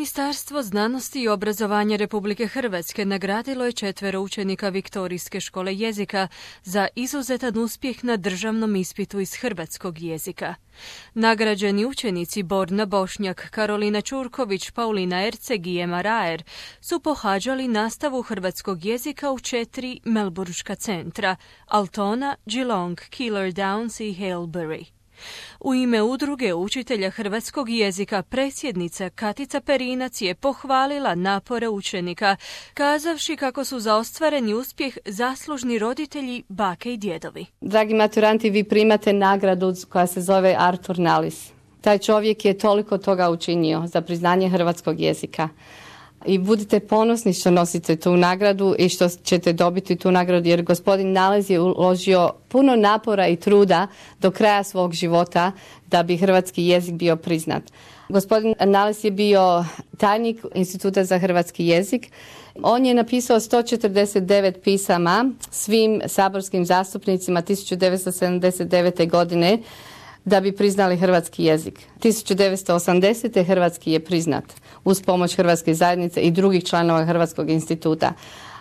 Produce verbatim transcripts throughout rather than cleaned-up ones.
Ministarstvo znanosti i obrazovanja Republike Hrvatske nagradilo je četvero učenika Viktorijske škole jezika za izuzetan uspjeh na državnom ispitu iz hrvatskog jezika. Nagrađeni učenici Borna Bošnjak, Karolina Čurković, Paulina Erceg i Ema Raer su pohađali nastavu hrvatskog jezika u četiri melburška centra: Altona, Geelong, Keilor Downs i Haileybury. U ime udruge učitelja hrvatskog jezika predsjednica Katica Perinac je pohvalila napore učenika, kazavši kako su za ostvareni uspjeh zaslužni roditelji, bake i djedovi. Dragi maturanti, vi primate nagradu koja se zove Artur Nalis. Taj čovjek je toliko toga učinio za priznanje hrvatskog jezika. I budite ponosni što nosite tu nagradu i što ćete dobiti tu nagradu, jer gospodin Nalez je uložio puno napora i truda do kraja svog života da bi hrvatski jezik bio priznat. Gospodin Nalez je bio tajnik Instituta za hrvatski jezik. On je napisao sto četrdeset devet pisama svim saborskim zastupnicima tisuću devetsto sedamdeset devete. godine da bi priznali hrvatski jezik. tisuću devetsto osamdesete. hrvatski je priznat uz pomoć Hrvatske zajednice i drugih članova Hrvatskog instituta.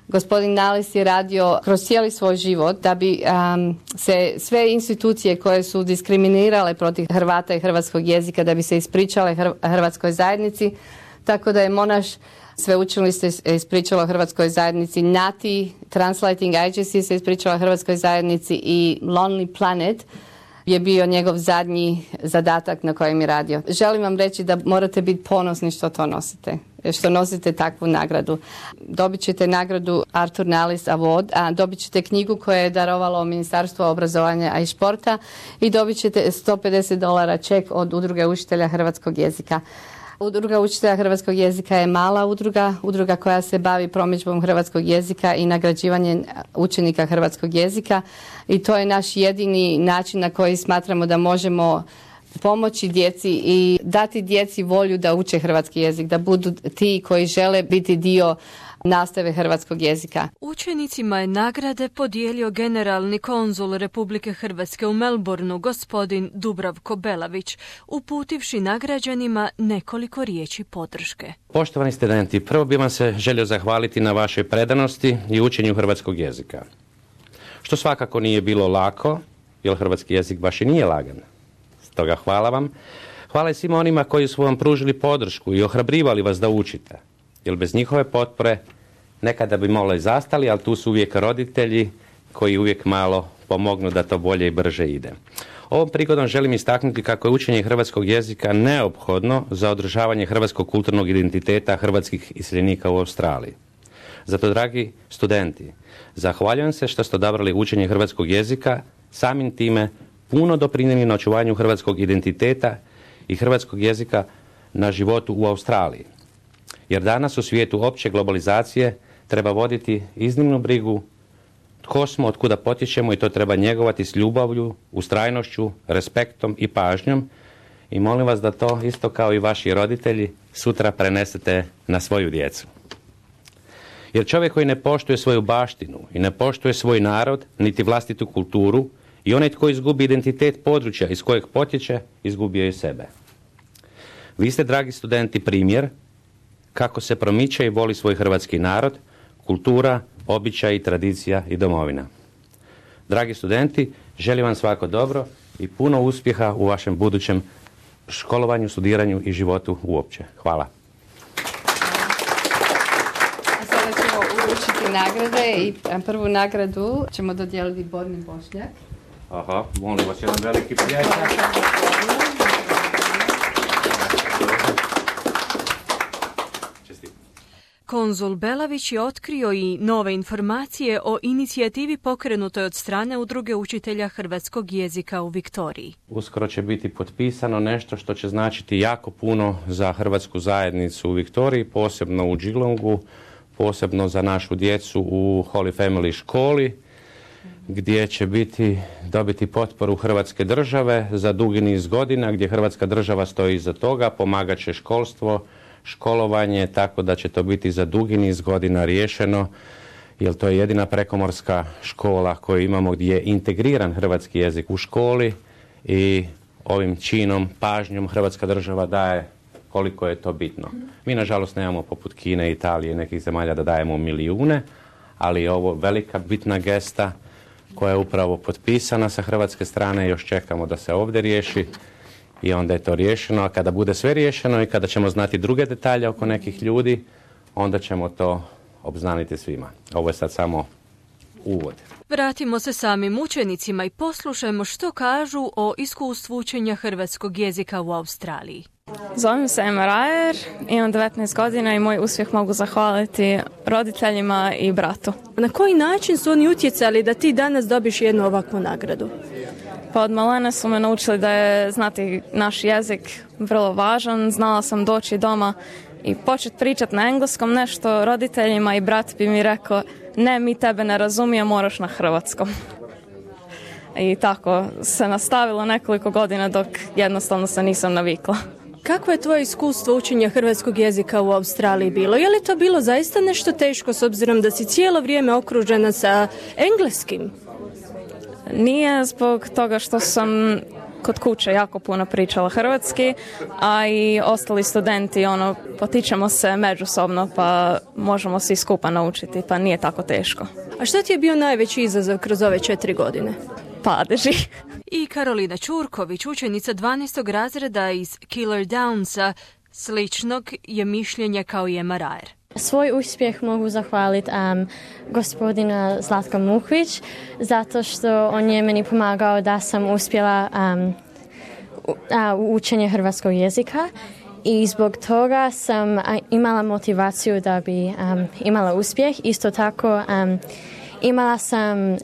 Gospodin Nalez je radio kroz cijeli svoj život da bi um, se sve institucije koje su diskriminirale protiv Hrvata i hrvatskog jezika, da bi se ispričale Hrvatskoj zajednici, tako da je Monaš sveučilište ispričalo Hrvatskoj zajednici, Nati Translating Agency se ispričala Hrvatskoj zajednici i Lonely Planet je bio njegov zadnji zadatak na kojem je radio. Želim vam reći da morate biti ponosni što to nosite, što nosite takvu nagradu. Dobit ćete nagradu Artur Nalis Award, a dobit ćete knjigu koju je darovalo Ministarstvo obrazovanja i športa i dobit ćete sto pedeset dolara ček od Udruge učitelja hrvatskog jezika. Udruga učitelja hrvatskog jezika je mala udruga, udruga koja se bavi promidžbom hrvatskog jezika i nagrađivanjem učenika hrvatskog jezika i to je naš jedini način na koji smatramo da možemo pomoći djeci i dati djeci volju da uče hrvatski jezik, da budu ti koji žele biti dio nastave hrvatskog jezika. Učenicima je nagrade podijelio generalni konzul Republike Hrvatske u Melbourneu, gospodin Dubravko Belavić, uputivši nagrađenima nekoliko riječi podrške. Poštovani studenti, prvo bih vam se želio zahvaliti na vašoj predanosti i učenju hrvatskog jezika. Što svakako nije bilo lako, jer hrvatski jezik baš i nije lagan. Stoga hvala vam. Hvala i svima onima koji su vam pružili podršku i ohrabrivali vas da učite. Jer bez njihove potpore nekada bi malo i zastali, ali tu su uvijek roditelji koji uvijek malo pomognu da to bolje i brže ide. Ovom prigodom želim istaknuti kako je učenje hrvatskog jezika neophodno za održavanje hrvatskog kulturnog identiteta hrvatskih iseljenika u Australiji. Zato, dragi studenti, zahvaljujem se što ste odabrali učenje hrvatskog jezika, samim time puno doprinijeli na očuvanju hrvatskog identiteta i hrvatskog jezika na životu u Australiji. Jer danas u svijetu opće globalizacije treba voditi iznimnu brigu tko smo, od kuda potječemo i to treba njegovati s ljubavlju, ustrajnošću, respektom i pažnjom. I molim vas da to isto kao i vaši roditelji sutra prenesete na svoju djecu. Jer čovjek koji ne poštuje svoju baštinu i ne poštuje svoj narod, niti vlastitu kulturu, i onaj tko izgubi identitet područja iz kojeg potječe, izgubio je sebe. Vi ste, dragi studenti, primjer kako se promiče i voli svoj hrvatski narod, kultura, običaj, tradicija i domovina. Dragi studenti, želim vam svako dobro i puno uspjeha u vašem budućem školovanju, studiranju i životu uopće. Hvala. A sada ćemo uručiti nagrade i prvu nagradu ćemo dodijeliti Borni Bošnjak. Aha, molim vas, jedan veliki prijatelj. Konzul Belavić je otkrio i nove informacije o inicijativi pokrenutoj od strane Udruge učitelja hrvatskog jezika u Viktoriji. Uskoro će biti potpisano nešto što će značiti jako puno za hrvatsku zajednicu u Viktoriji, posebno u Geelongu, posebno za našu djecu u Holy Family školi, gdje će biti, dobiti potporu Hrvatske države za dugi niz godina, gdje Hrvatska država stoji iza toga, pomagat će školstvo, školovanje, tako da će to biti za dugi niz godina riješeno, jer to je jedina prekomorska škola koju imamo gdje je integriran hrvatski jezik u školi i ovim činom, pažnjom Hrvatska država daje koliko je to bitno. Mi, nažalost, nemamo poput Kine, Italije i nekih zemalja da dajemo milijune, ali je ovo velika bitna gesta koja je upravo potpisana sa hrvatske strane. Još čekamo da se ovdje riješi i onda je to riješeno. A kada bude sve riješeno i kada ćemo znati druge detalje oko nekih ljudi, onda ćemo to obznaniti svima. Ovo je sad samo uvod. Vratimo se samim učenicima i poslušajmo što kažu o iskustvu učenja hrvatskog jezika u Australiji. Zovem se Emma Rajer, imam devetnaest godina i moj uspjeh mogu zahvaliti roditeljima i bratu. Na koji način su oni utjecali da ti danas dobiš jednu ovakvu nagradu? Pa od malene su me naučili da je znati naš jezik vrlo važan. Znala sam doći doma i početi pričati na engleskom nešto roditeljima i brat bi mi rekao ne, mi tebe ne razumije, moraš na hrvatskom. I tako se nastavilo nekoliko godina dok jednostavno se nisam navikla. Kako je tvoje iskustvo učenja hrvatskog jezika u Australiji bilo? Je li to bilo zaista nešto teško s obzirom da si cijelo vrijeme okružena sa engleskim? Nije, zbog toga što sam kod kuće jako puno pričala hrvatski, a i ostali studenti ono, potičemo se međusobno pa možemo svi skupa naučiti, pa nije tako teško. A što ti je bio najveći izazov kroz ove četiri godine? Padeži. I Karolina Ćurković, učenica dvanaestog razreda iz Killer Downsa, sličnog je mišljenja kao i Emma Rajer. Svoj uspjeh mogu zahvaliti um, gospodina Zlatko Mukvić, zato što on je meni pomagao da sam uspjela um, u, a, u učenje hrvatskog jezika i zbog toga sam a, imala motivaciju da bi um, imala uspjeh. Isto tako um, imala sam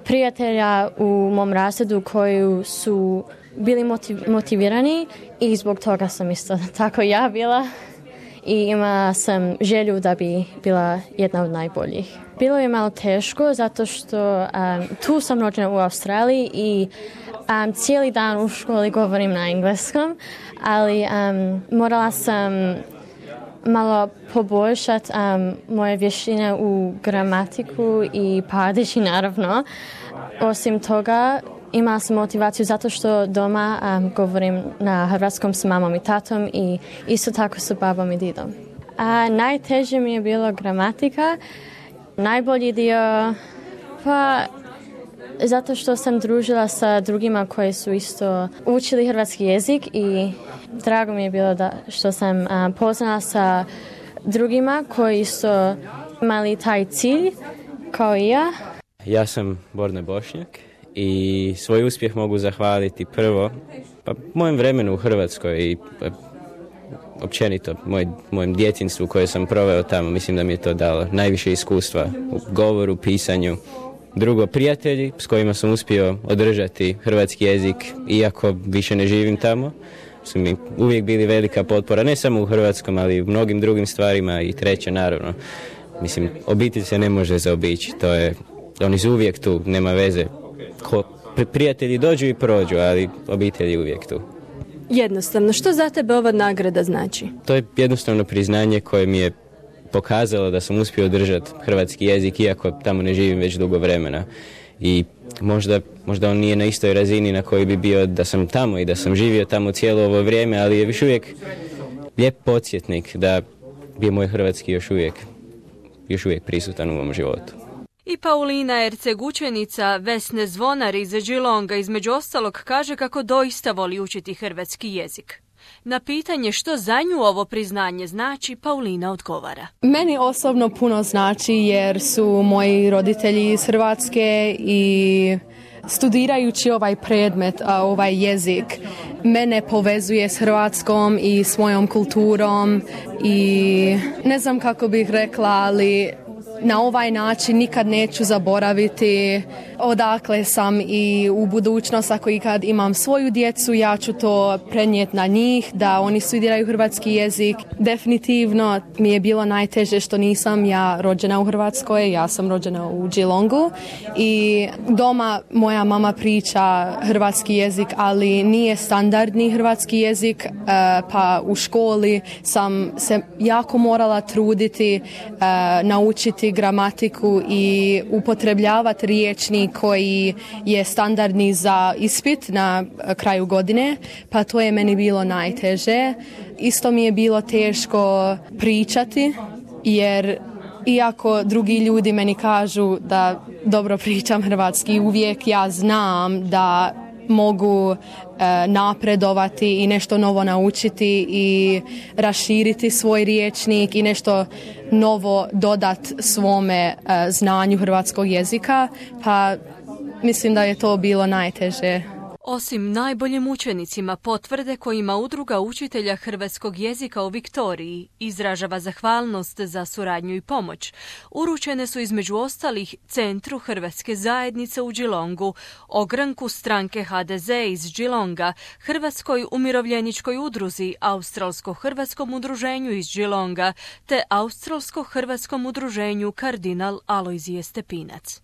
prijatelja u mom razredu koji su bili motiv, motivirani i zbog toga sam isto tako ja bila. I imala sam želju da bi bila jedna od najboljih. Bilo je malo teško zato što um, tu sam rođena u Australiji i um, cijeli dan u školi govorim na engleskom, ali um, morala sam malo poboljšati um, moje vještine u gramatiku i padeži naravno. Osim toga, imala sam motivaciju zato što doma um, govorim na hrvatskom s mamom i tatom i isto tako sa babom i didom. A najteže mi je bilo gramatika. Najbolji dio, pa zato što sam družila sa drugima koji su isto učili hrvatski jezik i drago mi je bilo da što sam um, poznala sa drugima koji su imali taj cilj kao i ja. Ja sam Borna Bošnjak i svoj uspjeh mogu zahvaliti prvo pa mojem vremenu u Hrvatskoj i pa, općenito moj, mojem djetinjstvu koje sam proveo tamo. Mislim da mi je to dalo najviše iskustva u govoru, pisanju. Drugo, prijatelji s kojima sam uspio održati hrvatski jezik iako više ne živim tamo su mi uvijek bili velika potpora, ne samo u hrvatskom, ali i u mnogim drugim stvarima. I treće, naravno, mislim, obitelj se ne može zaobići, to je, oni su uvijek tu, nema veze. Ko, prijatelji dođu i prođu, ali obitelj je uvijek tu. Jednostavno, što za tebe ova nagrada znači? To je jednostavno priznanje koje mi je pokazalo da sam uspio održati hrvatski jezik, iako tamo ne živim već dugo vremena. I možda, možda on nije na istoj razini na kojoj bi bio da sam tamo i da sam živio tamo cijelo ovo vrijeme, ali je još uvijek lijep podsjetnik da je moj hrvatski još uvijek, još uvijek prisutan u mom životu. I Paulina Erceg, učenica Vesne Zvonar iz Geelonga, između ostalog kaže kako doista voli učiti hrvatski jezik. Na pitanje što za nju ovo priznanje znači, Paulina odgovara. Meni osobno puno znači jer su moji roditelji iz Hrvatske i studirajući ovaj predmet, ovaj jezik, mene povezuje s Hrvatskom i s mojom kulturom i ne znam kako bih rekla, ali na ovaj način nikad neću zaboraviti odakle sam i u budućnost, ako i kad imam svoju djecu, ja ću to prenijeti na njih, da oni studiraju hrvatski jezik. Definitivno mi je bilo najteže što nisam ja rođena u Hrvatskoj, ja sam rođena u Geelongu i doma moja mama priča hrvatski jezik, ali nije standardni hrvatski jezik, pa u školi sam se jako morala truditi naučiti učiti gramatiku i upotrebljavati riječnik koji je standardni za ispit na kraju godine, pa to je meni bilo najteže. Isto mi je bilo teško pričati, jer iako drugi ljudi meni kažu da dobro pričam hrvatski, uvijek ja znam da mogu e, napredovati i nešto novo naučiti i raširiti svoj riječnik i nešto novo dodat svome e, znanju hrvatskog jezika, pa mislim da je to bilo najteže. Osim najboljim učenicima, potvrde kojima Udruga učitelja hrvatskog jezika u Viktoriji izražava zahvalnost za suradnju i pomoć, uručene su između ostalih Centru Hrvatske zajednice u Geelongu, ogranku stranke H D Z iz Geelonga, Hrvatskoj umirovljeničkoj udruzi, Australsko-hrvatskom udruženju iz Geelonga te Australsko-hrvatskom udruženju Kardinal Alojzije Stepinac.